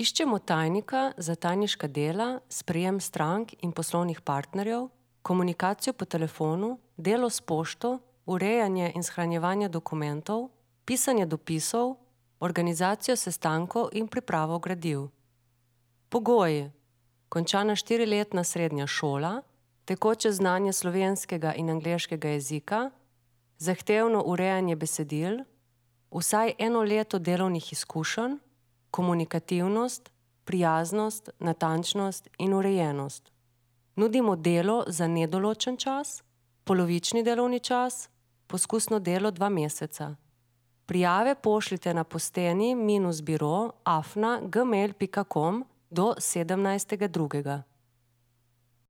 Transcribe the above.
Iščemo tajnika za tajniška dela, sprejem strank in poslovnih partnerjev, komunikacijo po telefonu, delo s pošto, urejanje in shranjevanje dokumentov, pisanje dopisov, organizacijo sestankov in pripravo gradiv. Pogoji: končana 4-letna srednja šola, tekoče znanje slovenskega in angleškega jezika, zahtevno urejanje besedil, vsaj 1 leto delovnih izkušenj, komunikativnost, prijaznost, natančnost in urejenost. Nudimo delo za nedoločen čas, polovični delovni čas, poskusno delo 2 meseca. Prijave pošljite na posteni-biro@gmail.com do 17.2.